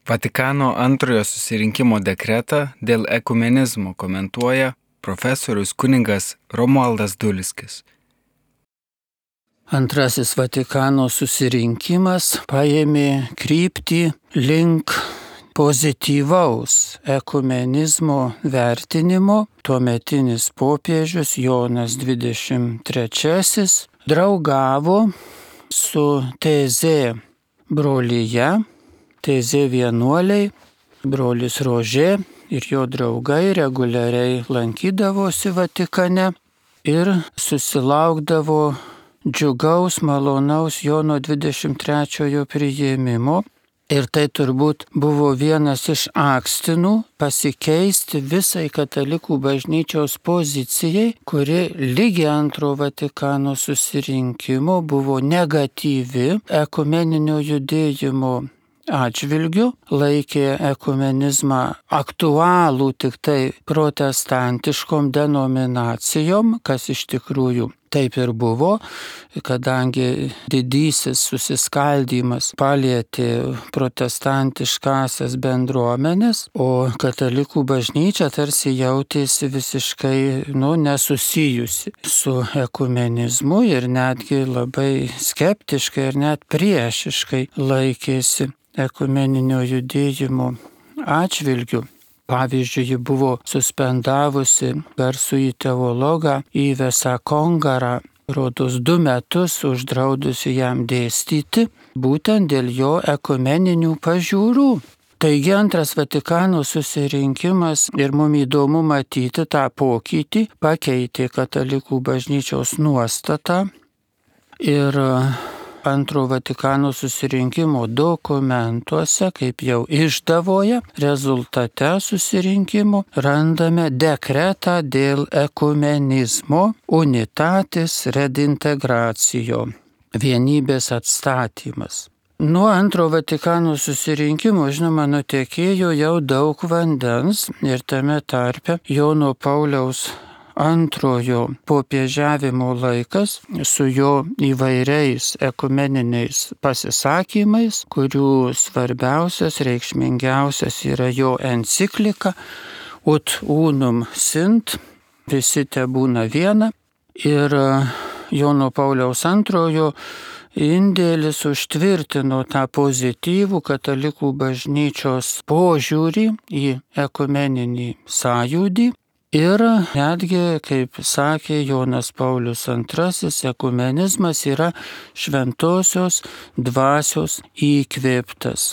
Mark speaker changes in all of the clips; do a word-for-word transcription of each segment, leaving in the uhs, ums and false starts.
Speaker 1: Vatikano antrojo susirinkimo dekretą dėl ekumenizmo komentuoja profesorius kunigas Romualdas Dulskis.
Speaker 2: Antrasis Vatikano susirinkimas paėmė kryptį link pozityvaus ekumenizmo vertinimo. Tuometinis popiežius Jonas dvidešimt trečiasis draugavo su Tezė brolyje, Tezė vienuoliai, brolis Rožė ir jo draugai reguliariai lankydavosi Vatikane ir susilaukdavo džiugaus, malonaus Jono dvidešimt trečiojo priėmimo. Ir tai turbūt buvo vienas iš akstinų pasikeisti visai katalikų bažnyčios pozicijai, kuri lygi antro Vatikano susirinkimo buvo negatyvi ekumeninio judėjimo atžvilgiu, laikė ekumenizmą aktualų tik tai protestantiškom denominacijom, kas iš tikrųjų taip ir buvo, kadangi didysis susiskaldymas palietė protestantiškasias bendruomenės, o katalikų bažnyčia tarsi jautėsi visiškai nu, nesusijusi su ekumenizmu ir netgi labai skeptiškai ir net priešiškai laikėsi ekumeninio judėjimo atžvilgiu. Pavyzdžiui, ji buvo suspendavusi garsųjį teologą Ivesą Kongarą, rodos du metus uždraudusi jam dėstyti, būtent dėl jo ekumeninių pažiūrų. Taigi antras Vatikano susirinkimas ir mums įdomu matyti tą pokytį, pakeitė katalikų bažnyčios nuostatą ir antro Vatikano susirinkimo dokumentuose, kaip jau išdavoje, rezultate susirinkimo randame dekretą dėl ekumenizmo unitatis redintegracijo, vienybės atstatymas. Nuo antro Vatikano susirinkimo, žinoma, nutekėjo jau daug vandens ir tame tarpe Jono Pauliaus antrojo popiežiavimo laikas su jo įvairiais ekumeniniais pasisakymais, kurių svarbiausias, reikšmingiausias yra jo enciklika Ut unum sint, visi tebūna viena. Ir Jono Pauliaus antrojo indėlis užtvirtino tą pozityvų katalikų bažnyčios požiūrį į ekumeninį sąjūdį. Ir netgi, kaip sakė Jonas Paulius antrasis, ekumenizmas yra šventosios dvasios įkvėptas.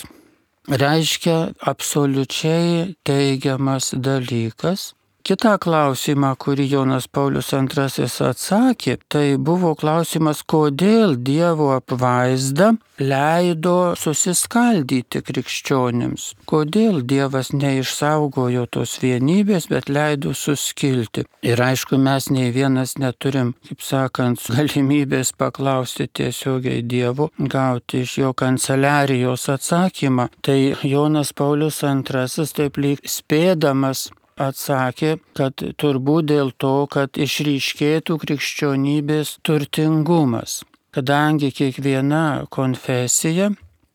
Speaker 2: Reiškia absoliučiai teigiamas dalykas. Kitą klausimą, kurį Jonas Paulius antrasis atsakė, tai buvo klausimas, kodėl Dievo apvaizda leido susiskaldyti krikščionims. Kodėl Dievas neišsaugojo tos vienybės, bet leido suskilti. Ir aišku, mes nei vienas neturim, kaip sakant, galimybės paklausti tiesiogiai Dievo, gauti iš jo kanceliarijos atsakymą. Tai Jonas Paulius antrasis taip lyg spėdamas atsakė, kad turbūt dėl to, kad išryškėtų krikščionybės turtingumas. Kadangi kiekviena konfesija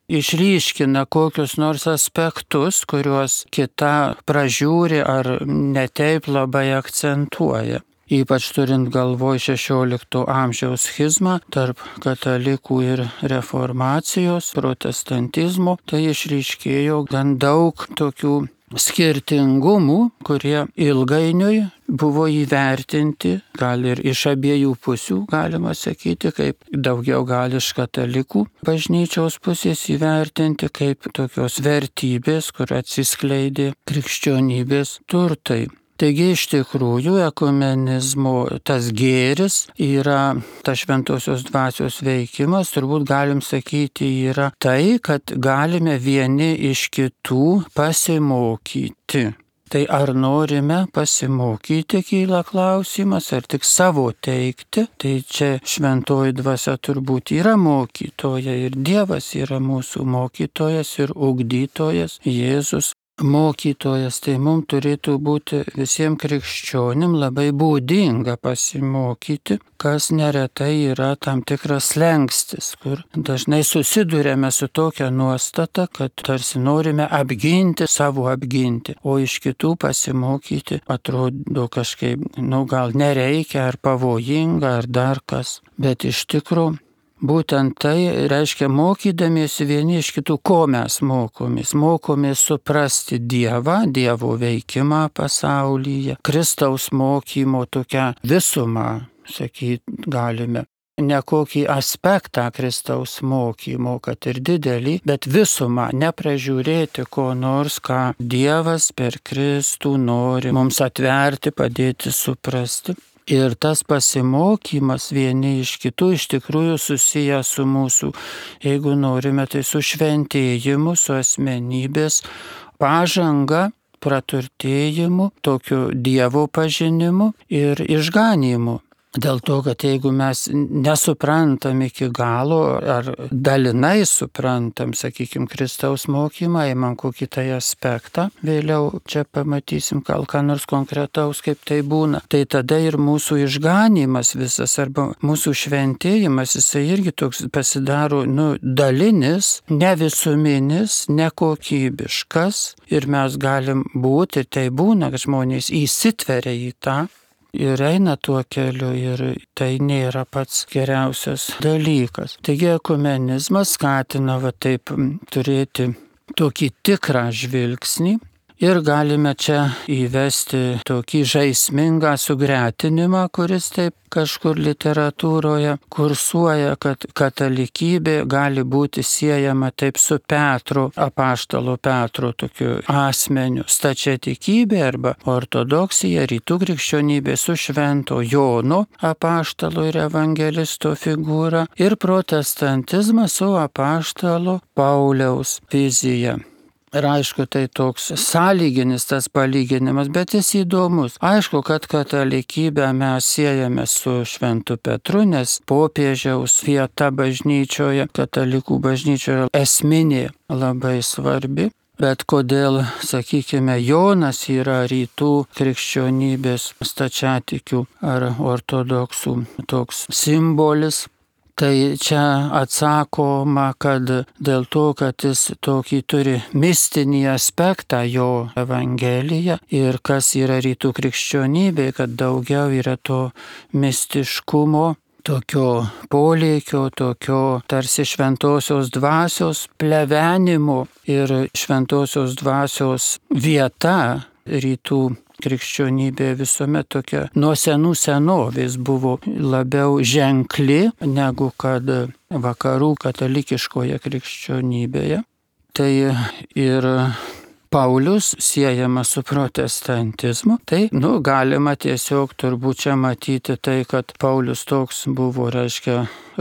Speaker 2: išryškina kokius nors aspektus, kuriuos kita pražiūri ar netaip labai akcentuoja. Ypač turint galvoj šešiolikto amžiaus schizmą tarp katalikų ir reformacijos, protestantizmo, tai išryškėjo gan daug tokių skirtingumų, kurie ilgainiui buvo įvertinti, gal ir iš abiejų pusių, galima sakyti, kaip daugiau gal iš katalikų bažnyčios pusės įvertinti, kaip tokios vertybės, kur atsiskleidė krikščionybės turtai. Taigi iš tikrųjų ekumenizmo tas gėris yra, tas šventosios dvasios veikimas, turbūt galim sakyti, yra tai, kad galime vieni iš kitų pasimokyti. Tai ar norime pasimokyti, kyla klausimas, ar tik savo teikti. Tai čia šventoji dvasia turbūt yra mokytoja ir Dievas yra mūsų mokytojas ir ugdytojas, Jėzus. mokytojas, tai mums turėtų būti visiems krikščionim labai būdinga pasimokyti, kas neretai yra tam tikras slengstis, kur dažnai susidurėme su tokia nuostata, kad tarsi norime apginti, savo apginti, o iš kitų pasimokyti atrodo kažkaip, nu gal nereikia, ar pavojinga, ar dar kas, bet iš tikrųjų būtent tai reiškia mokydamiesi vieni iš kitų, ko mes mokomės. Mokomės suprasti Dievą, Dievo veikimą pasaulyje, Kristaus mokymo tokią visumą, sakyt galime. Ne kokį aspektą Kristaus mokymo, kad ir didelį, bet visumą, nepražiūrėti ko nors, ką Dievas per Kristų nori mums atverti, padėti suprasti. Ir tas pasimokymas vieni iš kitų iš tikrųjų susijęs su mūsų, jeigu norime, tai su šventėjimu, su asmenybės pažanga, praturtėjimu, tokiu Dievo pažinimu ir išganymu. Dėl to, kad jeigu mes nesuprantam iki galo ar dalinai suprantam, sakykime, Kristaus mokymą, įmam kokį tai aspektą, vėliau čia pamatysim gal ką nors konkretaus, kaip tai būna, tai tada ir mūsų išganymas visas arba mūsų šventėjimas, jisai irgi toks pasidaro, nu, dalinis, ne visuminis, nekokybiškas ir mes galim būti, tai būna, kad žmonės įsitveria į tą, ir eina tuo keliu ir tai nėra pats geriausias dalykas. Taigi ekumenizmas skatina va taip turėti tokį tikrą žvilgsnį ir galime čia įvesti tokį žaismingą sugretinimą, kuris taip kažkur literatūroje kursuoja, kad katalikybė gali būti siejama taip su Petru, apaštalo Petro tokiu asmeniu, stačiatikybė arba ortodoksija, rytų krikščionybė su švento Jono apaštalo ir evangelisto figūra ir protestantizmas su apaštalo Pauliaus vizija. Ir aišku, tai toks sąlyginis tas palyginimas, bet jis įdomus. Aišku, kad katalikybę mes siejame su šventu Petru, nes popiežiaus vieta bažnyčioje, katalikų bažnyčioje esminė, labai svarbi. Bet kodėl, sakykime, Jonas yra rytų krikščionybės stačiatikių ar ortodoksų toks simbolis? Tai čia atsakoma, kad dėl to, kad jis tokį turi mistinį aspektą jo evangelija ir kas yra rytų krikščionybė, kad daugiau yra to mistiškumo, tokio polėkio, tokio tarsi šventosios dvasios plevenimo ir šventosios dvasios vieta rytų krikščionybė visuomet tokia nuo senų senovės buvo labiau ženkli negu kad vakarų katalikiškoje krikščionybėje. Tai ir Paulius siejamas su protestantizmu, tai, nu, galima tiesiog turbūt čia matyti tai, kad Paulius toks buvo, reiškia,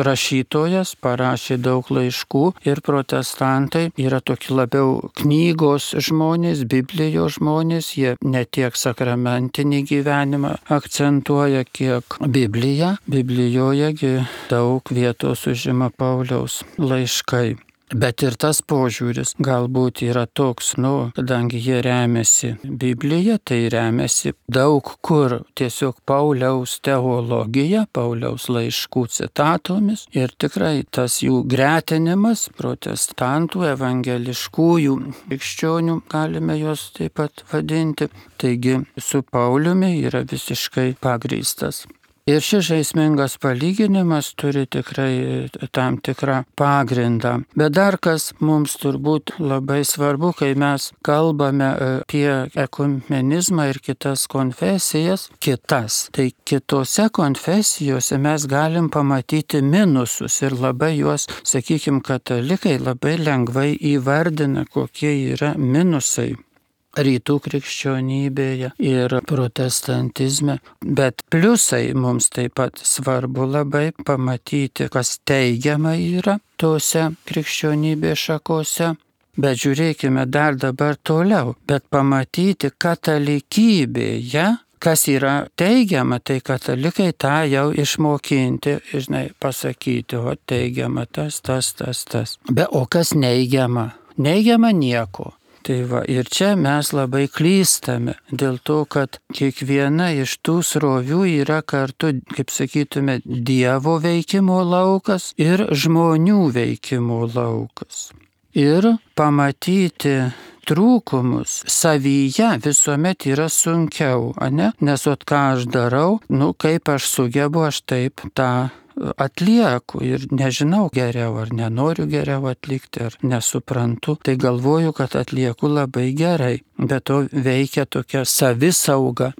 Speaker 2: rašytojas, parašė daug laiškų ir protestantai yra tokie labiau knygos žmonės, Biblijos žmonės, jie ne tiek sakramentinį gyvenimą akcentuoja, kiek Bibliją. Biblijoje daug vietos užima Pauliaus laiškai. Bet ir tas požiūris galbūt yra toks, nu, kadangi jie remiasi Biblija, tai remiasi daug kur tiesiog Pauliaus teologija, Pauliaus laiškų citatomis ir tikrai tas jų gretinimas protestantų, evangeliškųjų krikščionių, galime juos taip pat vadinti, taigi su Pauliumi yra visiškai pagrįstas. Ir šis žaismingas palyginimas turi tikrai tam tikrą pagrindą. Bet dar kas mums turbūt labai svarbu, kai mes kalbame apie ekumenizmą ir kitas konfesijas, kitas. Tai kitose konfesijose mes galim pamatyti minusus ir labai juos, sakykime, katalikai labai lengvai įvardina, kokie yra minusai rytų krikščionybėje ir protestantizme, bet pliusai mums taip pat svarbu labai pamatyti, kas teigiama yra tose krikščionybės šakose. Bet žiūrėkime dar dabar toliau, bet pamatyti katalikybėje, kas yra teigiama, tai katalikai tą jau išmokinti, žinai, pasakyti, o teigiama tas, tas, tas, tas. Be o kas neigiama? Neigiama nieko. Tai va, ir čia mes labai klystame, dėl to, kad kiekviena iš tų srovių yra kartu, kaip sakytume, Dievo veikimo laukas ir žmonių veikimo laukas. Ir pamatyti trūkumus savyje visuomet yra sunkiau, ane? Nes ot ką aš darau, nu kaip aš sugebu, aš taip tą atlieku ir nežinau geriau, ar nenoriu geriau atlikti, ar nesuprantu, tai galvoju, kad atlieku labai gerai, bet to veikia tokia savisauga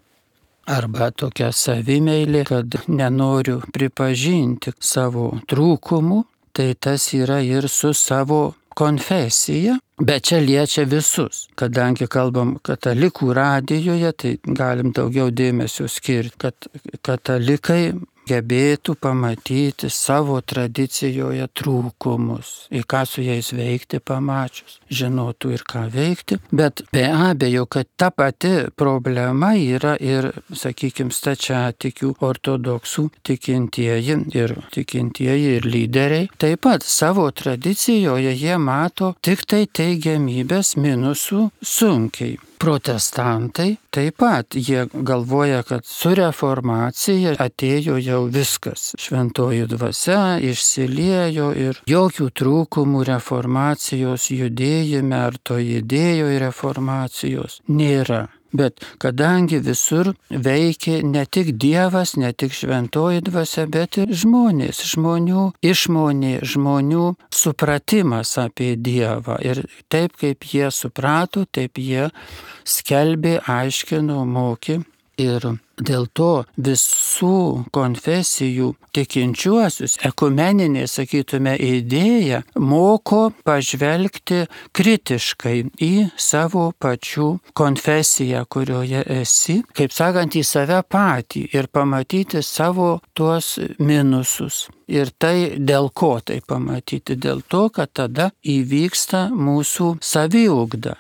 Speaker 2: arba tokia savimeilė, kad nenoriu pripažinti savo trūkumų, tai tas yra ir su savo konfesija, bet čia liečia visus. Kadangi kalbam katalikų radijoje, tai galim daugiau dėmesio skirti, kad katalikai gebėtų pamatyti savo tradicijoje trūkumus, į ką su jais veikti pamačius, žinotų ir ką veikti, bet be abejo, kad ta pati problema yra ir, sakykime, stačiatikių ortodoksų tikintieji ir tikintieji ir lyderiai. Taip pat savo tradicijoje jie mato tik tai teigiamybės, minusų sunkiai. Protestantai taip pat, jie galvoja, kad su reformacija atėjo jau viskas. Šventoji dvasia išsiliejo ir jokių trūkumų reformacijos judėjime ar to idėjoje reformacijos nėra. Bet kadangi visur veikia ne tik Dievas, ne tik šventoji dvasia, bet ir žmonės, žmonių išmonė, žmonių supratimas apie Dievą. Ir taip kaip jie suprato, taip jie skelbė, aiškino, mokė. Ir dėl to visų konfesijų tikinčiuosius ekumeninė, sakytume, idėja moko pažvelgti kritiškai į savo pačių konfesiją, kurioje esi, kaip sakant, į save patį ir pamatyti savo tuos minusus. Ir tai dėl ko tai pamatyti? Dėl to, kad tada įvyksta mūsų saviugda.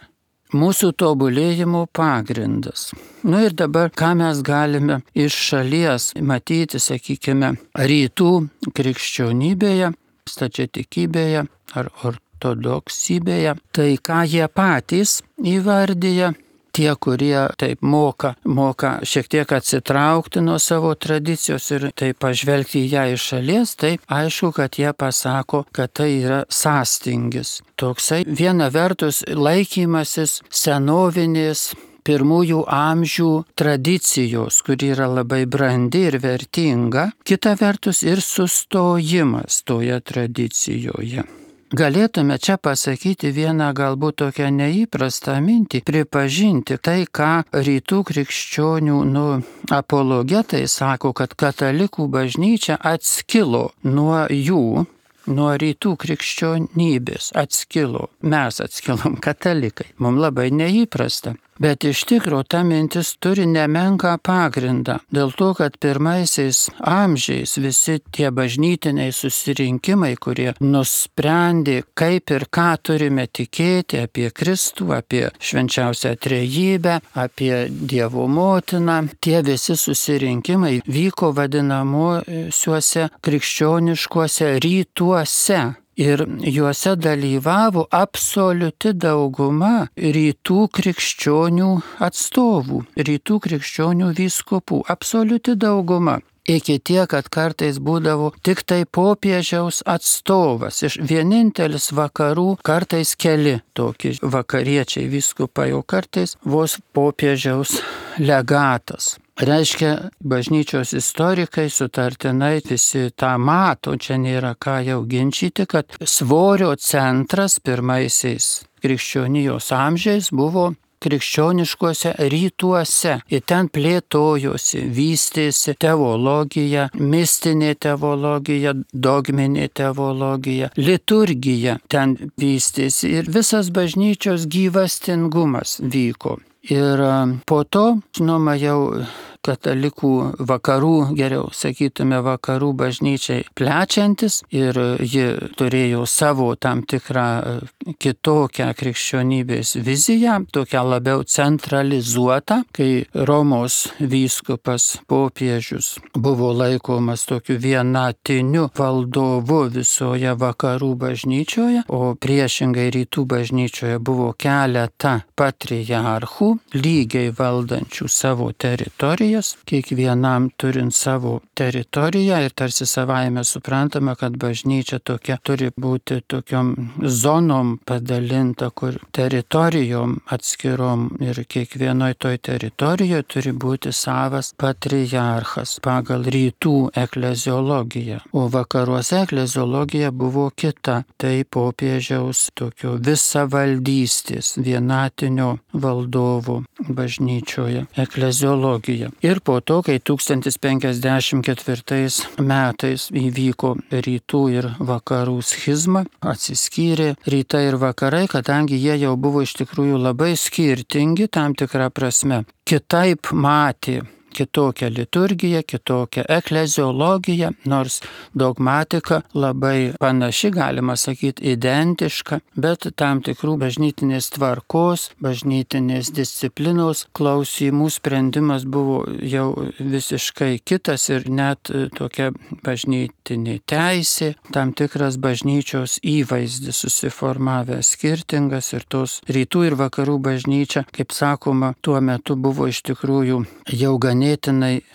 Speaker 2: Mūsų tobulėjimo pagrindas. Nu ir dabar, ką mes galime iš šalies matyti, sakykime, rytų krikščionybėje, stačiatikybėje ar ortodoksybėje, tai ką jie patys įvardyja, tie, kurie taip moka, moka šiek tiek atsitraukti nuo savo tradicijos ir taip pažvelgti į ją iš šalies, tai aišku, kad jie pasako, kad tai yra sąstingis. Toksai viena vertus laikymasis senovinės pirmųjų amžių tradicijos, kuri yra labai brandi ir vertinga, kita vertus ir sustojimas toje tradicijoje. Galėtume čia pasakyti vieną galbūt tokią neįprastą mintį, pripažinti tai, ką rytų krikščionių nu, apologetai sako, kad katalikų bažnyčia atskilo nuo jų, nuo rytų krikščionybės, atskilo. Mes atskilom katalikai, mums labai neįprasta. Bet iš tikro ta mintis turi nemenką pagrindą, dėl to, kad pirmaisiais amžiais visi tie bažnytiniai susirinkimai, kurie nusprendė, kaip ir ką turime tikėti apie Kristų, apie švenčiausią trejybę, apie Dievo motiną, tie visi susirinkimai vyko vadinamuosiuose krikščioniškuose rytuose. Ir juose dalyvavo absoliuti dauguma rytų krikščionių atstovų, rytų krikščionių vyskupų, absoliuti dauguma. Iki tiek, kad kartais būdavo tik tai popiežiaus atstovas, iš vienintelis vakarų, kartais keli tokie vakariečiai vyskupai, o kartais vos popiežiaus legatas. Reiškia, bažnyčios istorikai sutartinai visi tą mato, čia nėra ką jau ginčyti, kad svorio centras pirmaisiais krikščionijos amžiais buvo krikščioniškuose rytuose. Ir ten plėtojosi, vystėsi teologija, mistinė teologija, dogminė teologija, liturgija ten vystėsi ir visas bažnyčios gyvastingumas vyko. Ir po to, žinoma, jau katalikų vakarų, geriau sakytume, vakarų bažnyčiai plečiantis ir ji turėjo savo tam tikrą kitokią krikščionybės viziją, tokią labiau centralizuotą, kai Romos vyskupas popiežius buvo laikomas tokiu vienatiniu valdovu visoje vakarų bažnyčioje, o priešingai rytų bažnyčioje buvo keletą patriarchų, lygiai valdančių savo teritorijas, kiekvienam turint savo teritoriją ir tarsi savaime suprantama, kad bažnyčia tokia turi būti tokiom zonom padalinta, kur teritorijom atskirom ir kiekvienoj toj teritorijoje turi būti savas patriarchas pagal rytų ekleziologiją, o vakaruose ekleziologija buvo kita, tai popiežiaus tokio visavaldystės, vienatinio valdovo bažnyčioje ekleziologija. Ir po to, kai tūkstantis penkiasdešimt ketvirtais metais įvyko rytų ir vakarų schizma, atsiskyrė rytai ir vakarai, kadangi jie jau buvo iš tikrųjų labai skirtingi tam tikrą prasme. Kitaip matė kitokią liturgiją, kitokią ekleziologiją, nors dogmatika labai panaši, galima sakyti, identiška, bet tam tikrų bažnytinės tvarkos, bažnytinės disciplinos klausimų sprendimas buvo jau visiškai kitas ir net tokia bažnytinė teisė, tam tikras bažnyčios įvaizdis susiformavęs skirtingas ir tos rytų ir vakarų bažnyčia, kaip sakoma, tuo metu buvo iš tikrųjų jau ganėtinai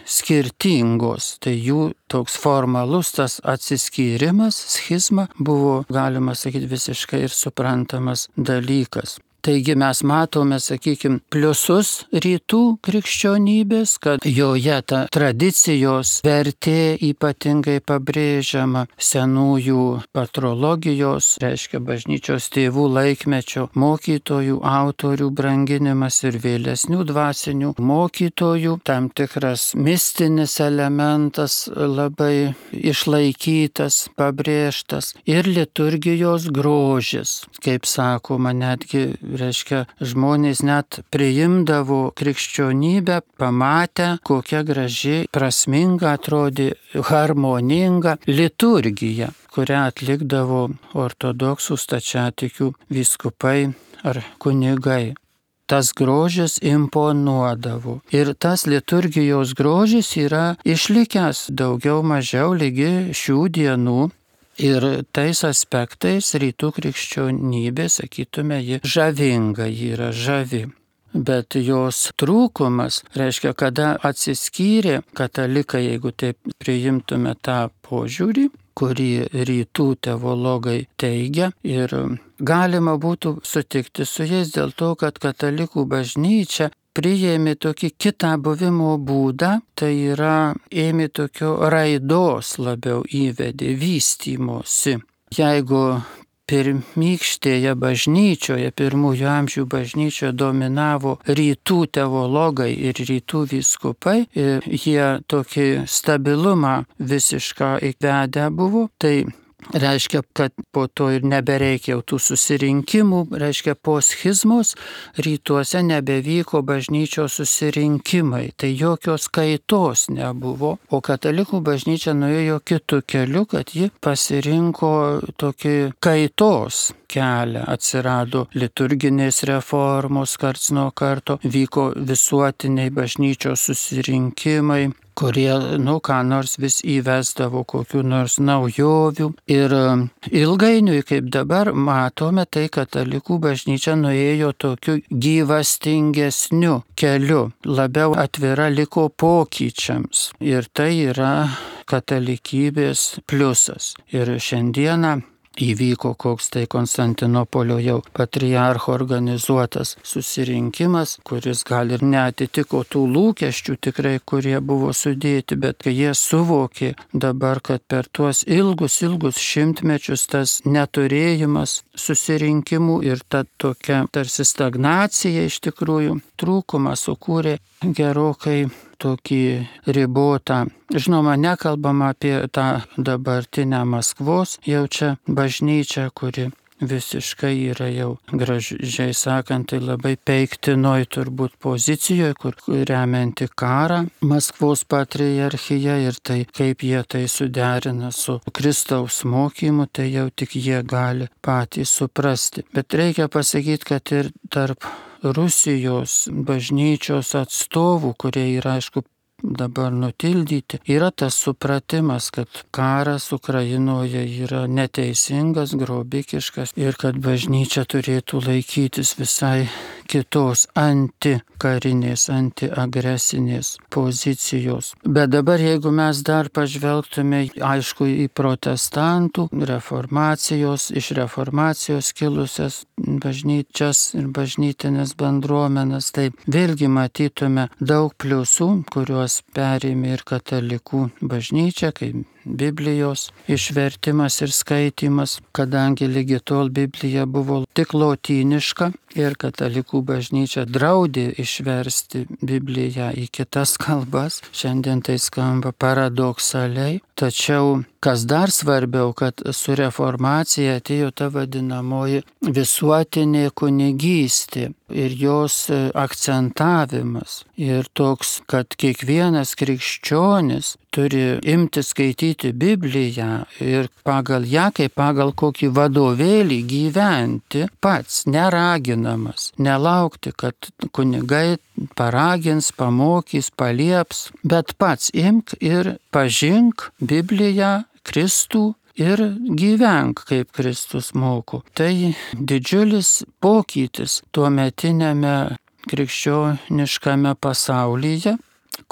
Speaker 2: skirtingos, tai jų toks formalus tas atsiskyrimas, schizma, buvo, galima sakyti, visiškai ir suprantamas dalykas. Taigi mes matome, sakykime, pliusus rytų krikščionybės, kad joje ta tradicijos vertė ypatingai pabrėžiama, senųjų patrologijos, reiškia bažnyčios tėvų laikmečio mokytojų, autorių branginimas ir vėlesnių dvasinių mokytojų, tam tikras mistinis elementas labai išlaikytas, pabrėžtas ir liturgijos grožis, kaip sakoma, netgi reiškia, žmonės net priimdavo krikščionybę, pamatę, kokia graži, prasminga atrodė, harmoninga liturgija, kurią atlikdavo ortodoksų stačiatikių vyskupai ar kunigai. Tas grožis imponuodavo. Ir tas liturgijos grožis yra išlikęs daugiau mažiau lygi šių dienų. Ir tais aspektais rytų krikščionybė, sakytume, ji žavinga, ji yra žavi. Bet jos trūkumas, reiškia, kada atsiskyrė katalikai, jeigu taip priimtume tą požiūrį, kurį rytų teologai teigia, ir galima būtų sutikti su jais dėl to, kad katalikų bažnyčia priėmė tokį kitą buvimo būdą, tai yra ėmė tokio raidos labiau įvedė, vystymosi. Jeigu pirmykštėje bažnyčioje, pirmųjų amžių bažnyčioje dominavo rytų teologai ir rytų vyskupai, ir jie tokį stabilumą visišką įvedę buvo, tai reiškia, kad po to ir nebereikia tų susirinkimų, reiškia, po schizmos rytuose nebevyko bažnyčios susirinkimai, tai jokios kaitos nebuvo, o katalikų bažnyčia nuėjo kitu keliu, kad ji pasirinko tokį kaitos kelią, atsirado liturginės reformos karts nuo karto, vyko visuotiniai bažnyčios susirinkimai, kurie, nu, ką nors vis įvesdavo kokių nors naujovių. Ir ilgainiui, kaip dabar matome, tai katalikų bažnyčia nuėjo tokiu gyvastingesniu keliu, labiau atvira liko pokyčiams. Ir tai yra katalikybės pliusas. Ir šiandieną įvyko koks tai Konstantinopolio jau patriarcho organizuotas susirinkimas, kuris gal ir neatitiko tų lūkesčių tikrai, kurie buvo sudėti, bet kai jie suvokė dabar, kad per tuos ilgus, ilgus šimtmečius tas neturėjimas susirinkimų ir ta tokia tarsi stagnacija iš tikrųjų trūkumą sukūrė gerokai tokį ribotą. Žinoma, nekalbama apie tą dabartinę Maskvos jau čia bažnyčią, kuri visiškai yra jau gražiai sakant, tai labai peiktinoj turbūt pozicijoje, kur remianti karą Maskvos patriarchija ir tai, kaip jie tai suderina su Kristaus mokymu, tai jau tik jie gali patys suprasti. Bet reikia pasakyti, kad ir tarp Rusijos bažnyčios atstovų, kurie yra, aišku, dabar nutildyti, yra tas supratimas, kad karas Ukrainoje yra neteisingas, grobikiškas ir kad bažnyčia turėtų laikytis visai kitos antikarinės, antiagresinės pozicijos. Bet dabar, jeigu mes dar pažvelgtume, aišku, į protestantų, reformacijos, iš reformacijos kilusias bažnyčias ir bažnytinės bendruomenes, tai vėlgi matytume daug pliusų, kuriuos perėmė ir katalikų bažnyčia, kaip Biblijos išvertimas ir skaitimas, kadangi lygi tol Biblija buvo tik lotyniška ir katalikų bažnyčia draudė išversti Bibliją į kitas kalbas. Šiandien tai skamba paradoksaliai, tačiau kas dar svarbiau, kad su reformacija atėjo ta vadinamoji visuotinė kunigystė ir jos akcentavimas. Ir toks, kad kiekvienas krikščionis turi imti skaityti Bibliją ir pagal ją, kaip pagal kokį vadovėlį gyventi pats, neraginamas, nelaukti, kad kunigai paragins, pamokys, palieps, bet pats imk ir pažink Bibliją, Kristų ir gyvenk, kaip Kristus moko. Tai didžiulis pokytis tuometiniame krikščioniškame pasaulyje,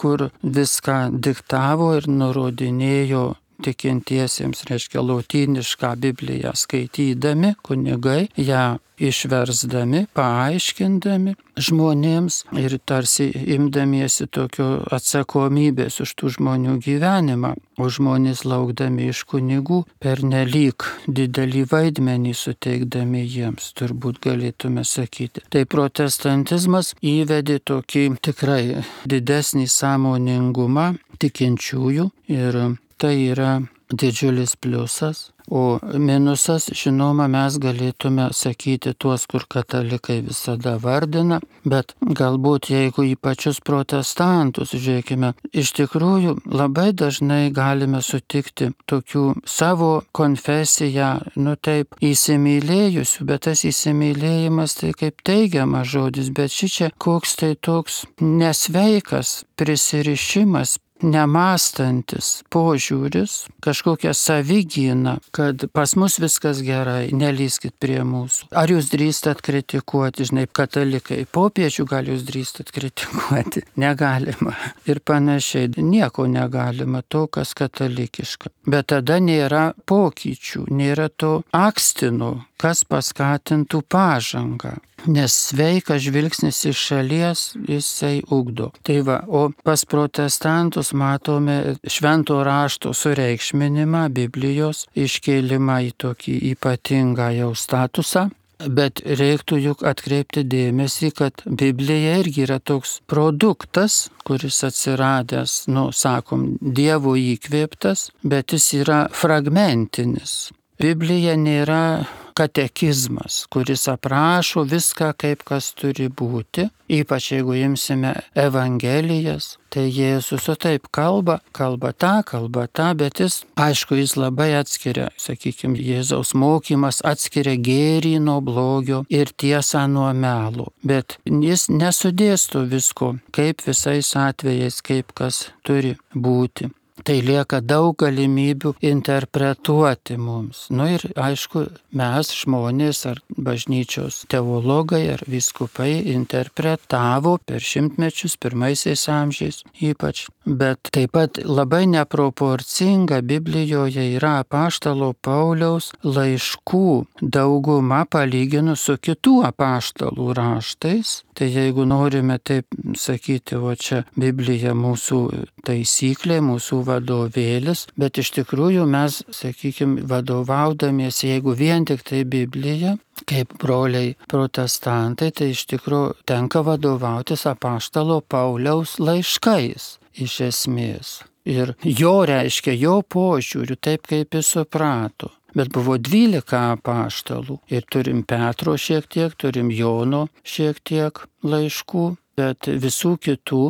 Speaker 2: kur viską diktavo ir nurodinėjo tikintiesiems, reiškia lotynišką Bibliją skaitydami, kunigai ją išversdami, paaiškindami žmonėms ir tarsi imdamiesi tokio atsakomybės už tų žmonių gyvenimą, o žmonės laukdami iš kunigų pernelyg didelį vaidmenį suteikdami jiems, turbūt galėtume sakyti. Tai protestantizmas įvedė tokį tikrai didesnį sąmoningumą tikinčiųjų ir tai yra didžiulis pliusas. O minusas, žinoma, mes galėtume sakyti tuos, kur katalikai visada vardina, bet galbūt jeigu į pačius protestantus, žiūrėkime, iš tikrųjų labai dažnai galime sutikti tokių savo konfesiją, nu taip, įsimylėjusių, bet tas įsimylėjimas tai kaip teigiamas žodis, bet šičia koks tai toks nesveikas prisirišimas, nemąstantis požiūris, kažkokia savigyna, kad pas mus viskas gerai, nelyskit prie mūsų. Ar jūs drįstat kritikuoti, žinai, katalikai, popiežių gal jūs drįstat kritikuoti? Negalima. Ir panašiai, nieko negalima to, kas katalikiška. Bet tada nėra pokyčių, nėra to akstino, kas paskatintų pažangą. Nes sveikas žvilgsnis iš šalies jisai ugdo. Tai va, o pas protestantus matome švento rašto sureikšminimą, Biblijos iškėlimą į tokį ypatingą jau statusą. Bet reiktų juk atkreipti dėmesį, kad Biblija irgi yra toks produktas, kuris atsiradęs, nu, sakom, Dievo įkvėptas, bet jis yra fragmentinis. Biblija nėra katekizmas, kuris aprašo viską, kaip kas turi būti, ypač jeigu imsime Evangelijas, tai Jėzus taip kalba, kalba tą, kalba tą, bet jis, aišku, jis labai atskiria, sakykime, Jėzaus mokymas atskiria gėrį nuo blogio ir tiesą nuo melo, bet jis nesudėsto visko, kaip visais atvejais, kaip kas turi būti. Tai lieka daug galimybių interpretuoti mums. Nu ir aišku, mes žmonės ar bažnyčios teologai ar vyskupai interpretavo per šimtmečius, pirmaisiais amžiais ypač. Bet taip pat labai neproporcinga Biblijoje yra apaštalo Pauliaus laiškų dauguma palyginus su kitų apaštalų raštais. Tai jeigu norime taip sakyti, o čia Biblija mūsų taisyklė, mūsų vadovėlis, bet iš tikrųjų mes, sakykime, vadovaudamiesi, jeigu vien tik tai Biblija, kaip broliai protestantai, tai iš tikrųjų tenka vadovautis apaštalo Pauliaus laiškais iš esmės. Ir jo reiškia, jo požiūriu, taip kaip jis suprato. bet buvo dvylika apaštalų. Ir turim Petro šiek tiek, turim Jono šiek tiek laiškų, bet visų kitų,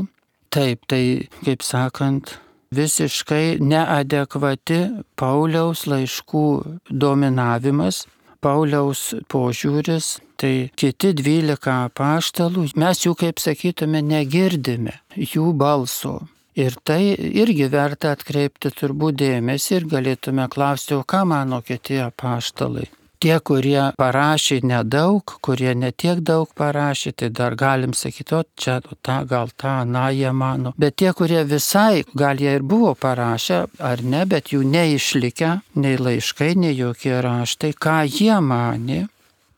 Speaker 2: taip, tai, kaip sakant, visiškai neadekvati Pauliaus laiškų dominavimas, Pauliaus požiūris, tai kiti dvylika apaštalų, mes jų, kaip sakytume, negirdime, jų balso. Ir tai irgi verta atkreipti turbūt dėmesį ir galėtume klausti, o ką mano kiti apaštalai? Tie, kurie parašė nedaug, kurie netiek daug parašė, tai dar galim sakyti, o čia, o tą, gal tą, na, jie mano. Bet tie, kurie visai, gal jie ir buvo parašę, ar ne, bet jų neišlikę, nei laiškai, nei jokie raštai, ką jie manė.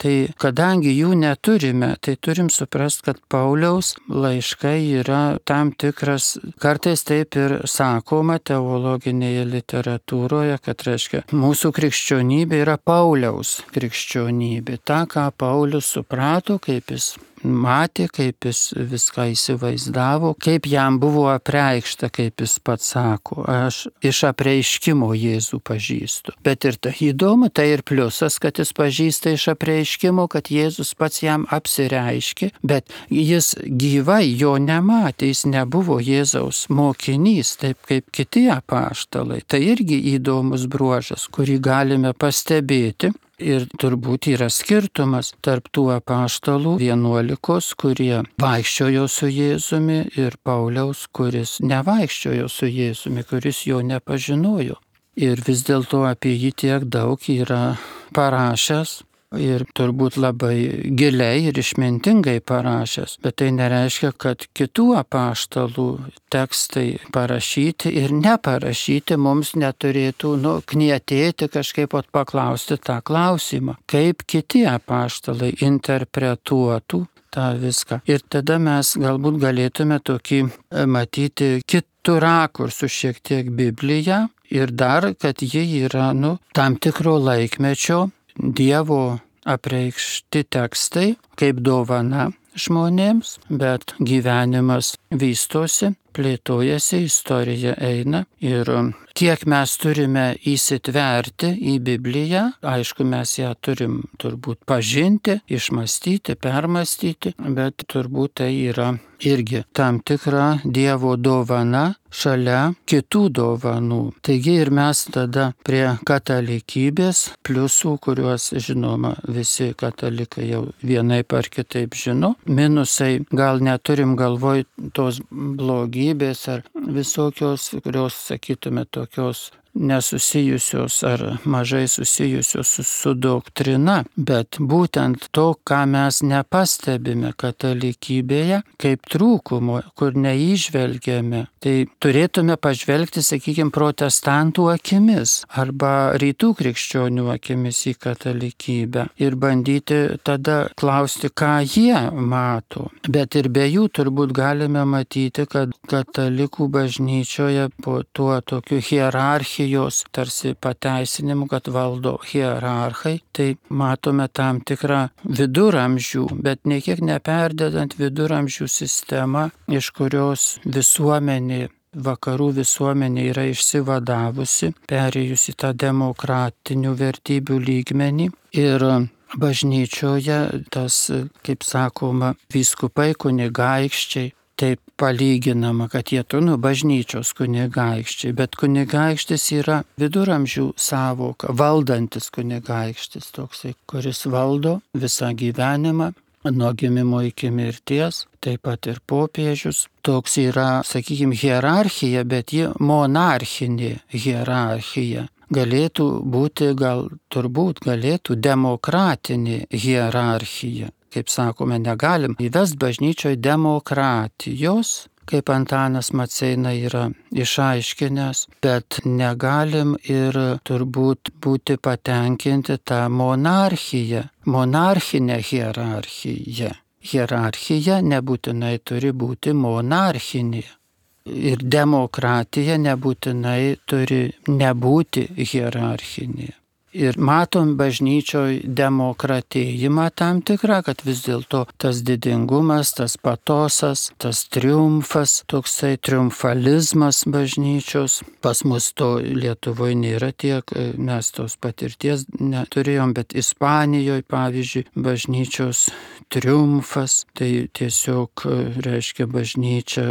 Speaker 2: Tai kadangi jų neturime, tai turim suprasti, kad Pauliaus laiškai yra tam tikras, kartais taip ir sakoma teologinėje literatūroje, kad reiškia, mūsų krikščionybė yra Pauliaus krikščionybė. Ta, ką Paulius suprato, kaip jis matė, kaip jis viską įsivaizdavo, kaip jam buvo apreikšta, kaip jis pats sako, aš iš apreiškimo Jėzų pažįstu. Bet ir tai įdomu, tai ir pliusas, kad jis pažįsta iš apreiškimo, kad Jėzus pats jam apsireiškė, bet jis gyvai jo nematė, jis nebuvo Jėzaus mokinys, taip kaip kiti apaštalai. Tai irgi įdomus bruožas, kurį galime pastebėti. Ir turbūt yra skirtumas tarp tų apaštalų vienuolikos, kurie vaikščiojo su Jėzumi, ir Pauliaus, kuris nevaikščiojo su Jėzumi, kuris jo nepažinojo. Ir vis dėlto apie jį tiek daug yra parašęs. Ir turbūt labai giliai ir išmintingai parašęs, bet tai nereiškia, kad kitų apaštalų tekstai parašyti ir neparašyti mums neturėtų nu, knietėti kažkaip paklausti tą klausimą, kaip kiti apaštalai interpretuotų tą viską. Ir tada mes galbūt galėtume tokį matyti kitų rakursų šiek tiek Bibliją ir dar, kad ji yra nu, tam tikro laikmečio Dievo apreikšti tekstai kaip dovana žmonėms, bet gyvenimas vystosi, plėtojasi, istorija eina ir tiek mes turime įsitverti į Bibliją, aišku, mes ją turim turbūt pažinti, išmastyti, permastyti, bet turbūt tai yra irgi tam tikra Dievo dovana šalia kitų dovanų. Taigi ir mes tada prie katalikybės pliusų, kuriuos žinoma visi katalikai jau vienaip ar kitaip žino, minusai gal neturim galvoj tos blogybės ar visokios, kurios, sakytume, tokios nesusijusios ar mažai susijusios su, su doktrina, bet būtent to, ką mes nepastebime katalikybėje, kaip trūkumo, kur neįžvelgiame, tai turėtume pažvelgti, sakykime, protestantų akimis arba rytų krikščionių akimis į katalikybę ir bandyti tada klausti, ką jie mato. Bet ir be jų turbūt galime matyti, kad katalikų bažnyčioje po tuo tokiu hierarchiju jos tarsi pateisinimu, kad valdo hierarchai, tai matome tam tikrą viduramžių, bet niekiek neperdedant viduramžių sistemą, iš kurios visuomenė, vakarų visuomenė yra išsivadavusi, perėjusi tą demokratinių vertybių lygmenį ir bažnyčioje tas, kaip sakoma, vyskupai, kunigaikščiai, taip palyginama, kad jie tu, nu, bažnyčios kunigaikščiai, bet kunigaikštis yra viduramžių sąvoka, valdantis kunigaikštis toksai, kuris valdo visą gyvenimą, nuo gimimo iki mirties, taip pat ir popiežius. Toks yra, sakykime, hierarchija, bet ji monarchinė hierarchija. Galėtų būti, gal turbūt galėtų demokratinė hierarchija. Kaip sakome, negalim įvest bažnyčioje demokratijos, kaip Antanas Maceina yra išaiškinęs, bet negalim ir turbūt būti patenkinti tą monarchiją, monarchinę hierarchiją. Hierarchija nebūtinai turi būti monarchinė. Ir demokratija nebūtinai turi nebūti hierarchinė. Ir matom bažnyčioje demokratėjimą tam tikrą, kad vis dėlto tas didingumas, tas patosas, tas triumfas, toksai triumfalizmas bažnyčios. Pas mus to Lietuvoje nėra tiek, mes tos patirties neturėjom, bet Ispanijoje, pavyzdžiui, bažnyčios triumfas, tai tiesiog reiškia bažnyčia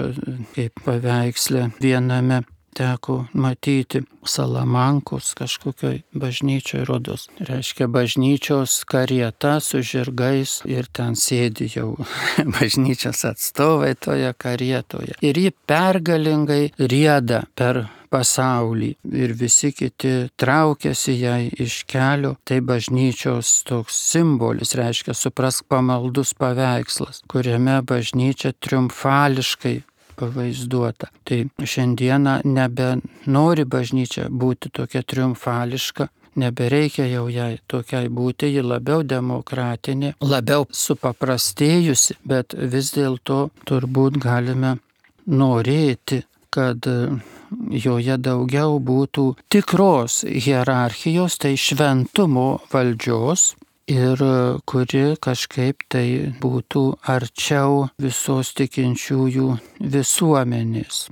Speaker 2: kaip paveikslė viename teko matyti Salamankos kažkokioj bažnyčioj rodos. Reiškia bažnyčios karieta su žirgais ir ten sėdi jau bažnyčios atstovai toje karietoje. Ir ji pergalingai rieda per pasaulį ir visi kiti traukiasi jai iš kelio. Tai bažnyčios toks simbolis, reiškia suprask pamaldus paveikslas, kuriame bažnyčia triumfališkai pavaizduota. Tai šiandieną nebenori bažnyčia būti tokia triumfališka, nebereikia jau jai tokiai būti, ji labiau demokratinė, labiau supaprastėjusi, bet vis dėlto turbūt galime norėti, kad joje daugiau būtų tikros hierarchijos, tai šventumo valdžios, ir kuri kažkaip tai būtų arčiau visos tikinčiųjų visuomenės.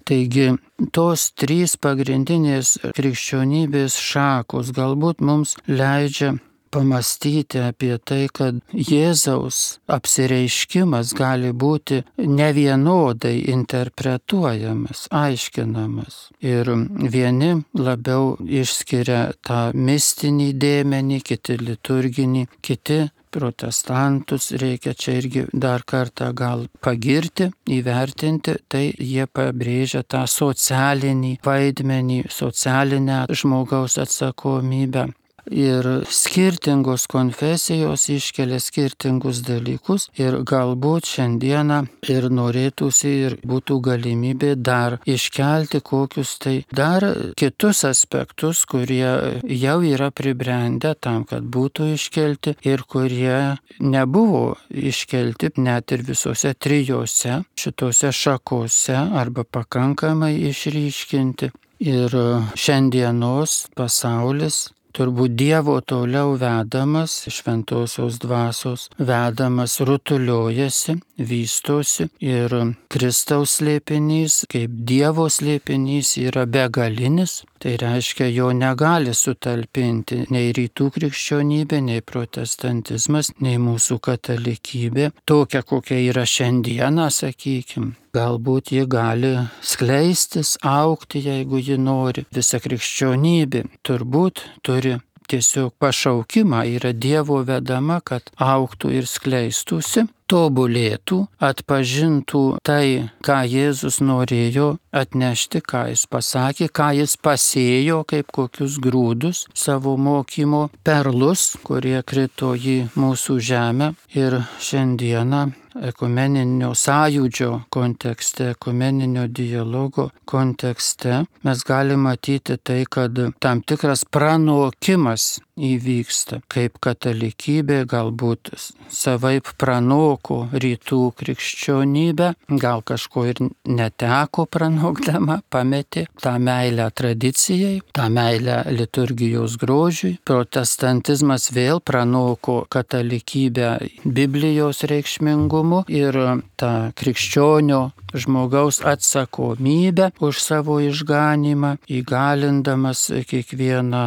Speaker 2: Taigi, tos trys pagrindinės krikščionybės šakos galbūt mums leidžia pamastyti apie tai, kad Jėzaus apsireiškimas gali būti nevienodai interpretuojamas, aiškinamas. Ir vieni labiau išskiria tą mistinį dėmenį, kiti liturginį, kiti protestantus reikia čia irgi dar kartą gal pagirti, įvertinti, tai jie pabrėžia tą socialinį vaidmenį, socialinę žmogaus atsakomybę. Ir skirtingos konfesijos iškelia skirtingus dalykus ir galbūt šiandieną ir norėtųsi ir būtų galimybė dar iškelti kokius tai dar kitus aspektus, kurie jau yra pribrendę tam, kad būtų iškelti ir kurie nebuvo iškelti net ir visose trijose šitose šakose arba pakankamai išryškinti. Ir šiandienos pasaulis turbūt Dievo toliau vedamas, šventosios dvasios vedamas, rutuliojasi, vystosi ir Kristaus slėpinys, kaip Dievo slėpinys, yra begalinis. Tai reiškia, jo negali sutalpinti nei rytų krikščionybė, nei protestantizmas, nei mūsų katalikybė. Tokia, kokia yra šiandieną, sakykim. Galbūt ji gali skleistis, augti, jeigu ji nori. Visa krikščionybė turbūt turi tiesiog pašaukimą, yra Dievo vedama, kad augtų ir skleistųsi, tobulėtų, atpažintų tai, ką Jėzus norėjo atnešti, ką jis pasakė, ką jis pasėjo, kaip kokius grūdus savo mokymo perlus, kurie krito į mūsų žemę. Ir šiandieną ekumeninio sąjūdžio kontekste, ekumeninio dialogo kontekste mes galime matyti tai, kad tam tikras pranokimas įvyksta, kaip katalikybė galbūt savaip pranoko rytų krikščionybę, gal kažko ir neteko pranokdama, pametė tą meilę tradicijai, tą meilę liturgijos grožiui. Protestantizmas vėl pranoko katalikybę Biblijos reikšmingumu ir tą krikščionio žmogaus atsakomybę už savo išganymą, įgalindamas kiekvieną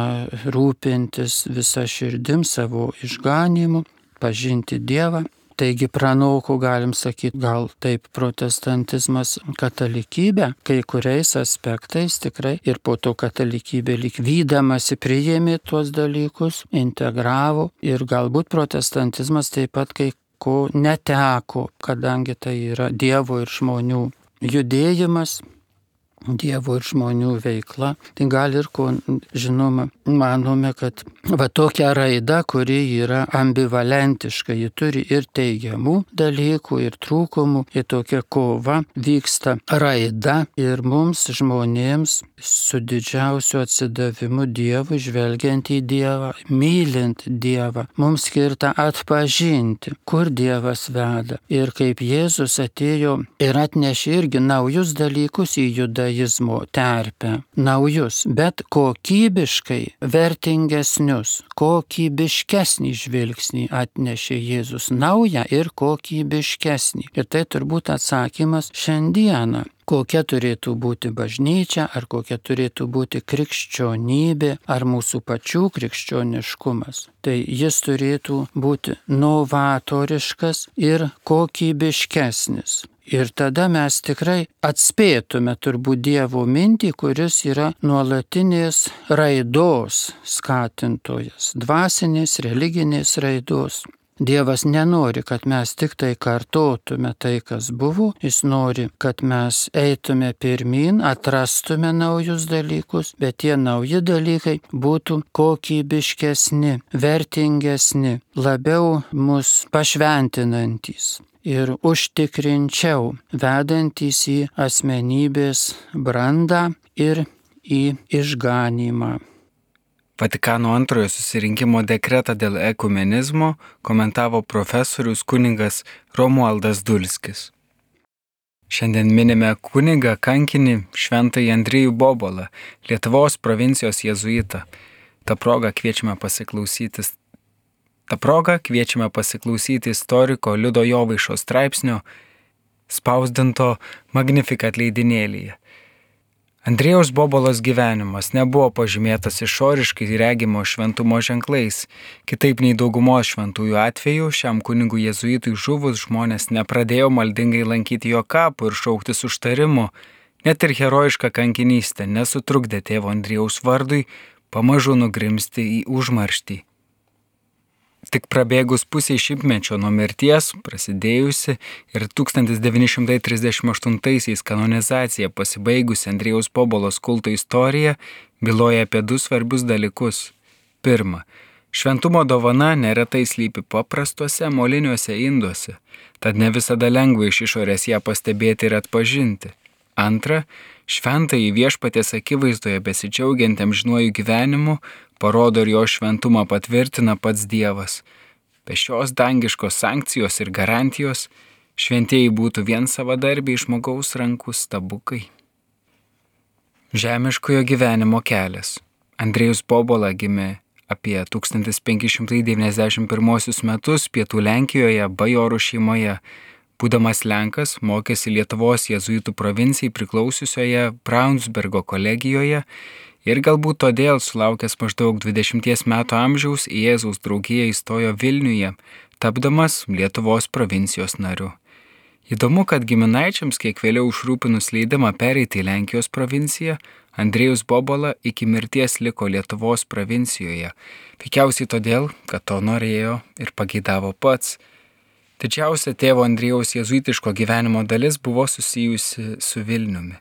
Speaker 2: rūpintis visą širdim savo išganymu, pažinti Dievą. Taigi pranoko, galim sakyti, gal taip protestantizmas katalikybę, kai kuriais aspektais tikrai, ir po to katalikybė lyg vydamasi priėmė tuos dalykus, integravo, ir galbūt protestantizmas taip pat kai ko neteko, kadangi tai yra Dievo ir žmonių judėjimas, Dievo ir žmonių veikla. Tai gal ir ko, žinoma, manome, kad va tokia raida, kuri yra ambivalentiška, ji turi ir teigiamų dalykų, ir trūkumų, ir tokia kova vyksta raida, ir mums žmonėms su didžiausiu atsidavimu Dievui, žvelgiant į Dievą, mylint Dievą, mums skirta atpažinti, kur Dievas veda. Ir kaip Jėzus atėjo ir atnešė irgi naujus dalykus į judaizmą, judaizmo terpę, naujus, bet kokybiškai vertingesnius, kokybiškesnį žvilgsnį atnešė Jėzus, naują ir kokybiškesnį. Ir tai turbūt atsakymas šiandieną. Kokia turėtų būti bažnyčia, ar kokia turėtų būti krikščionybė, ar mūsų pačių krikščioniškumas. Tai jis turėtų būti novatoriškas ir kokybiškesnis. Ir tada mes tikrai atspėtume turbūt Dievo mintį, kuris yra nuolatinės raidos skatintojas, dvasinės, religinės raidos. Dievas nenori, kad mes tik tai kartotume tai, kas buvo, jis nori, kad mes eitume pirmin, atrastume naujus dalykus, bet tie nauji dalykai būtų kokybiškesni, vertingesni, labiau mus pašventinantys ir užtikrinčiau vedantys į asmenybės brandą ir į išganymą.
Speaker 1: Vatikano antrojo susirinkimo dekretą dėl ekumenizmo komentavo profesorius kunigas Romualdas Dulskis. Šiandien minime kunigą kankinį šventąjį Andriejų Bobolą, Lietuvos provincijos jėzuitą. Ta proga kviečiame pasiklausyti, ta proga kviečiame pasiklausyti istoriko Liudo Jovaišos straipsnio spausdinto Magnificat leidinėlyje. Andriejaus Bobolos gyvenimas nebuvo pažymėtas išoriškai regimo šventumo ženklais. Kitaip nei daugumos šventųjų atveju, šiam kunigui jėzuitui žuvus žmonės nepradėjo maldingai lankyti jo kapų ir šauktis užtarimo. Net ir herojiška kankinystė nesutrukdė tėvo Andriejaus vardui pamažu nugrimzti į užmarštį. Tik prabėgus pusiai šimtmečio nuo mirties, prasidėjusi ir tūkstantis devyni šimtai trisdešimt aštuntaisiais kanonizacija pasibaigusi Andriejaus Bobolos kulto istorija byloja apie du svarbius dalykus. Pirma, šventumo dovana neretai slypi paprastuose moliniuose induose, tad ne visada lengva iš išorės ją pastebėti ir atpažinti. Antra, šventąjį viešpaties akivaizdoje besidžiaugiantiem amžinuoju gyvenimu parodo ir jo šventumą patvirtina pats Dievas. Be šios dangiškos sankcijos ir garantijos šventieji būtų vien savadarbiai žmogaus rankų stabukai. Žemiškojo gyvenimo kelias. Andriejus Bobola gimė apie tūkstantis penki šimtai devyniasdešimt pirmuosius metus Pietų Lenkijoje bajorų šeimoje. Būdamas Lenkas, mokėsi Lietuvos jėzuitų provincijai priklausiusioje Braunsbergo kolegijoje ir galbūt todėl sulaukęs maždaug dvidešimties metų amžiaus į Jėzaus draugiją įstojo Vilniuje, tapdamas Lietuvos provincijos nariu. Įdomu, kad giminaičiams kiek vėliau užrūpinus leidimą pereiti į Lenkijos provinciją, Andriejus Bobola iki mirties liko Lietuvos provincijoje, veikiausiai todėl, kad to norėjo ir pageidavo pats. Didžiausia tėvo Andriejaus jėzuitiško gyvenimo dalis buvo susijusi su Vilniumi.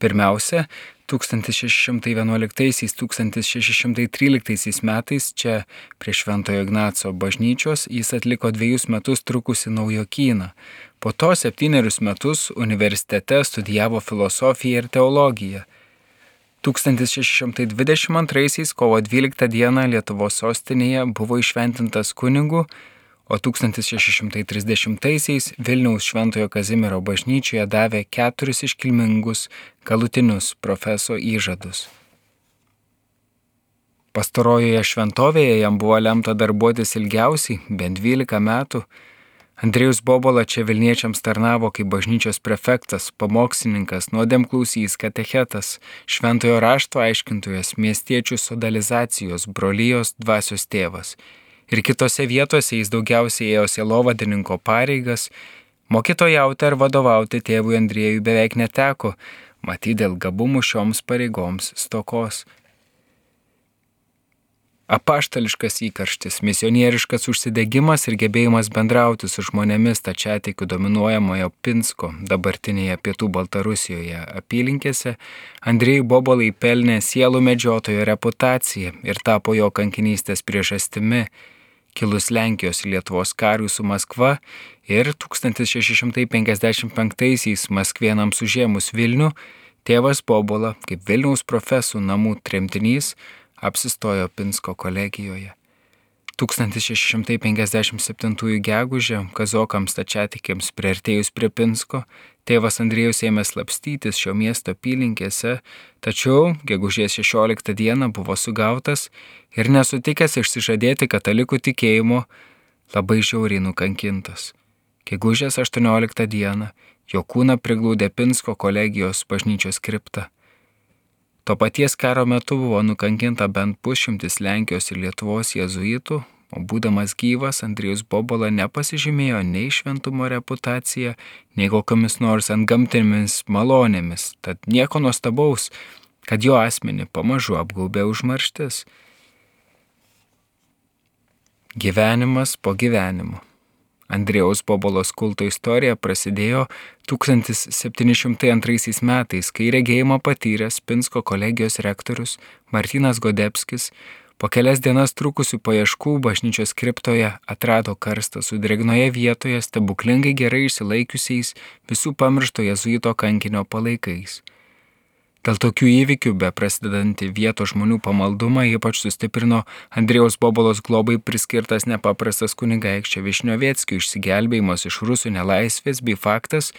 Speaker 1: Pirmiausia, tūkstantis šeši šimtai vienuoliktaisiais - tūkstantis šeši šimtai tryliktaisiais metais čia prie Šventojo Ignaco bažnyčios jis atliko dviejus metus trukusi naujokyną. Po to septynerius metus universitete studijavo filosofiją ir teologiją. tūkstantis šeši šimtai dvidešimt antraisiais kovo dvyliktą dieną Lietuvos sostinėje buvo įšventintas kunigu, o tūkstantis šeši šimtai trisdešimtaisiais Vilniaus Šventojo Kazimiero bažnyčioje davė keturis iškilmingus galutinius profeso įžadus. Pastarojoje šventovėje jam buvo lemta darbuotis ilgiausiai, bent dvylika metų. Andriejus Bobola čia Vilniečiams tarnavo kaip bažnyčios prefektas, pamokslininkas, nuodėmklausys, katechetas, šventojo rašto aiškintojas, miestiečių sodalizacijos, brolijos dvasios tėvas. Ir kitose vietose jis daugiausiai ėjo sielovadininko pareigas, mokytojauti ar vadovauti tėvui Andriejui beveik neteko, matyt dėl gabumų šioms pareigoms stokos. Apaštališkas įkarštis, misionieriškas užsidegimas ir gebėjimas bendrauti su žmonėmis stačiatikių dominuojamojo Pinsko, dabartinėje Pietų Baltarusijoje apylinkėse, Andriejui Bobolai pelnė sielų medžiotojo reputaciją ir tapo jo kankinystės priežastimi. Kilus Lenkijos ir Lietuvos karui su Maskva ir tūkstantis šeši šimtai penkiasdešimt penktaisiais maskvėnams užėmus Vilnių, tėvas Bobola, kaip Vilniaus profesų namų tremtinys, apsistojo Pinsko kolegijoje. tūkstantis šeši šimtai penkiasdešimt septintųjų gegužę kazokams stačiatikiams priartėjus prie Pinsko, tėvas Andriejus ėmė slapstytis šio miesto apylinkėse, tačiau gegužės šešioliktą dieną buvo sugautas ir nesutikęs išsižadėti katalikų tikėjimo, labai žiauriai nukankintas. Gegužės aštuonioliktą dieną jo kūną priglaudė Pinsko kolegijos bažnyčios kripta. To paties karo metu buvo nukankinta bent pusšimtis Lenkijos ir Lietuvos jėzuitų, o būdamas gyvas Andriejus Bobola nepasižymėjo nei šventumo reputacija, nei kokiamis nors antgamtinėmis malonėmis, tad nieko nuostabaus, kad jo asmenį pamažu apgaubė užmarštis. Gyvenimas po gyvenimo. Andriejaus Bobolos kulto istorija prasidėjo tūkstantis septyni šimtai antraisiais metais, kai regėjimą patyręs Pinsko kolegijos rektorius Martynas Godebskis po kelias dienas trukusių paieškų bažnyčios kriptoje atrado karstą su drėgnoje vietoje stebuklingai gerai išsilaikiusiais visų pamiršto jėzuito kankinio palaikais. Dėl tokių įvykių beprasidedantį vietos žmonių pamaldumą ypač sustiprino Andriejaus Bobolos globai priskirtas nepaprastas kunigaikščio Višnioveckio išsigelbėjimas iš rusų nelaisvės bei faktas,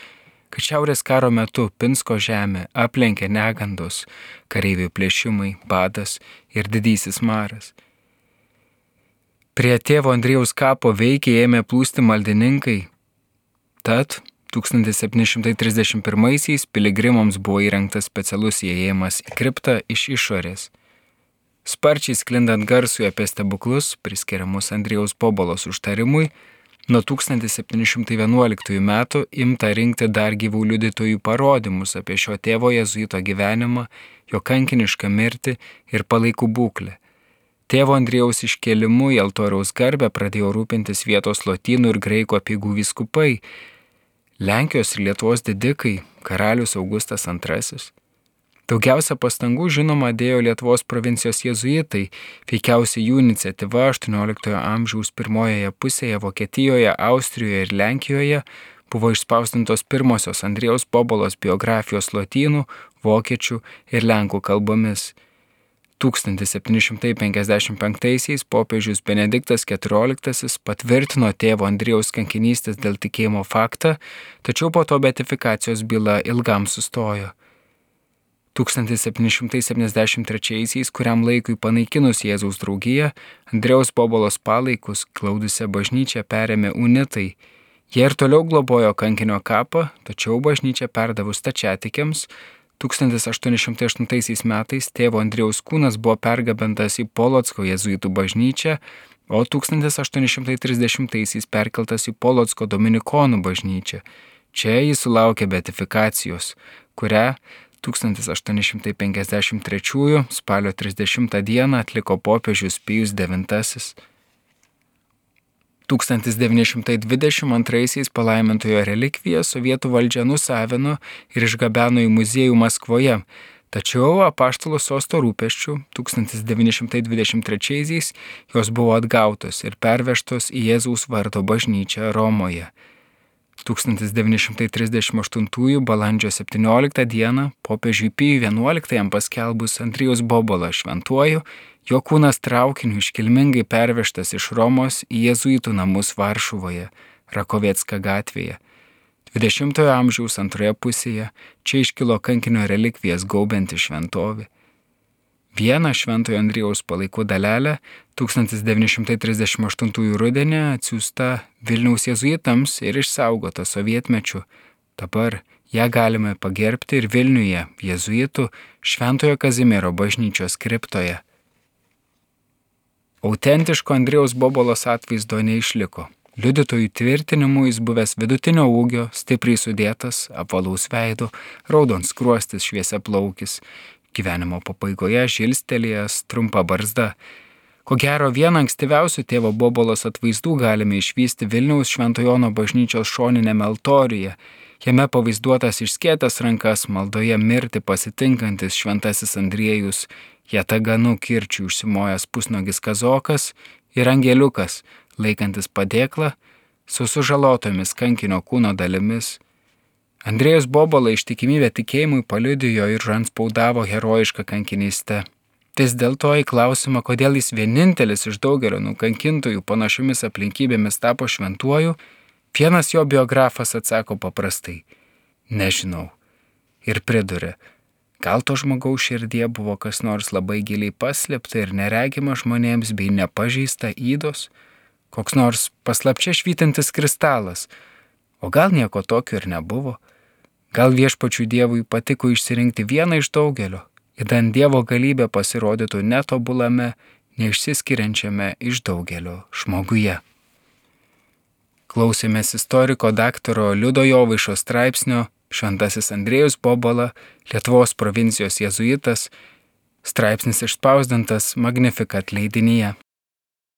Speaker 1: kad šiaurės karo metu Pinsko žemė aplenkė negandos, kareivių plėšimai, badas ir didysis maras. Prie tėvo Andriejaus kapo veikiai ėmė plūsti maldininkai, tad tūkstantis septyni šimtai trisdešimt pirmaisiais piligrimams buvo įrengtas specialus įėjimas į kriptą iš išorės. Sparčiai sklindant garsui apie stebuklus, priskiriamus Andriejaus Bobolos užtarimui, nuo tūkstantis septyni šimtai vienuoliktųjų metų imta rinkti dar gyvų liudytojų parodymus apie šio tėvo jėzuito gyvenimą, jo kankinišką mirtį ir palaikų būklę. Tėvo Andriejaus iškėlimu į altoriaus garbę pradėjo rūpintis vietos lotynų ir graikų apeigų vyskupai, Lenkijos ir Lietuvos didikai, karalius Augustas antrasis. Daugiausia pastangų žinoma dėjo Lietuvos provincijos jėzuitai, veikiausiai jų iniciatyva aštuonioliktojo amžiaus pirmojoje pusėje Vokietijoje, Austrijoje ir Lenkijoje buvo išspausdintos pirmosios Andriejaus Bobolos biografijos lotynų, vokiečių ir lenkų kalbomis. tūkstantis septyni šimtai penkiasdešimt penktaisiais popiežius Benediktas keturioliktasis patvirtino tėvo Andriejaus kankinystės dėl tikėjimo faktą, tačiau po to beatifikacijos byla ilgam sustojo. tūkstantis septyni šimtai septyniasdešimt trečiaisiais, kuriam laikui panaikinus Jėzaus draugiją, Andriejaus Bobolos palaikus glaudusią bažnyčią perėmė unitai. Jie ir toliau globojo kankinio kapą, tačiau bažnyčią perdavus stačiatikiams, tūkstantis aštuoni šimtai aštuntaisiais metais tėvo Andriejaus kūnas buvo pergabentas į Polocko jėzuitų bažnyčią, o tūkstantis aštuoni šimtai trisdešimtaisiais perkeltas į Polocko dominikonų bažnyčią. Čia jis sulaukė beatifikacijos, kurią tūkstantis aštuoni šimtai penkiasdešimt trečiųjų spalio trisdešimtą dieną atliko popiežius Pijus devintasis. tūkstantis devyni šimtai dvidešimt antraisiais palaimintojo relikviją sovietų valdžia nusavino ir išgabeno į muziejų Maskvoje, tačiau apaštalo sosto rūpesčių tūkstantis devyni šimtai dvidešimt trečiaisiais jos buvo atgautos ir pervežtos į Jėzaus vardo bažnyčią Romoje. tūkstantis devyni šimtai trisdešimt aštuntųjų balandžio septynioliktą dieną popiežiui Pijui vienuoliktajam paskelbus Andriejaus Bobolą šventuoju, jo kūnas traukiniu iškilmingai pervežtas iš Romos į jėzuitų namus Varšuvoje, Rakoviecka gatvėje. dvidešimtojo amžiaus antroje pusėje čia iškilo kankinio relikvijas gaubianti šventovė. Vieną šventojo Andriejaus palaikų dalelę tūkstantis devyni šimtai trisdešimt aštuntųjų rudenį atsiųsta Vilniaus jėzuitams ir išsaugota sovietmečiu. Dabar ją galime pagerbti ir Vilniuje jėzuitų Šventojo Kazimiero bažnyčios kriptoje. Autentiško Andriejaus Bobolos atvaizdo neišliko. Liudytojų tvirtinimu jis buvęs vidutinio ūgio, stipriai sudėtas, apvalaus veido, raudonskruostis, šviesiaplaukis, gyvenimo pabaigoje žilstelėjęs, trumpa barzda. Ko gero vieną ankstyviausių tėvo Bobolos atvaizdų galime išvysti Vilniaus Švento Jono bažnyčios šoninėme altoriuje. Jame pavaizduotas išskėtęs rankas maldoje mirti pasitinkantis šventasis Andriejus, jataganu kirčių užsimojęs pusnogis kazokas ir angeliukas, laikantis padėklą su sužalotomis kankinio kūno dalimis. Andriejus Bobola ištikimybę tikėjimui paliudijo ir anspaudavo herojišką kankinystę. Vis dėlto į klausimą, kodėl jis vienintelis iš daugelio nukankintojų panašiomis aplinkybėmis tapo šventuoju, vienas jo biografas atsako paprastai – nežinau. Ir priduria, gal to žmogaus širdie buvo kas nors labai giliai paslėpta ir neregima žmonėms bei nepažeista ydos, koks nors paslapčia švytintis kristalas, o gal nieko tokio ir nebuvo. Gal viešpačiui Dievui patiko išsirinkti vieną iš daugelio, idant Dievo galybė pasirodytų netobulame, neišsiskiriančiame iš daugelio žmoguje. Klausėmės istoriko daktaro Liudo Jovaišo straipsnio Šventasis Andriejus Bobola, Lietuvos provincijos jėzuitas, straipsnis išspausdintas Magnificat leidinyje.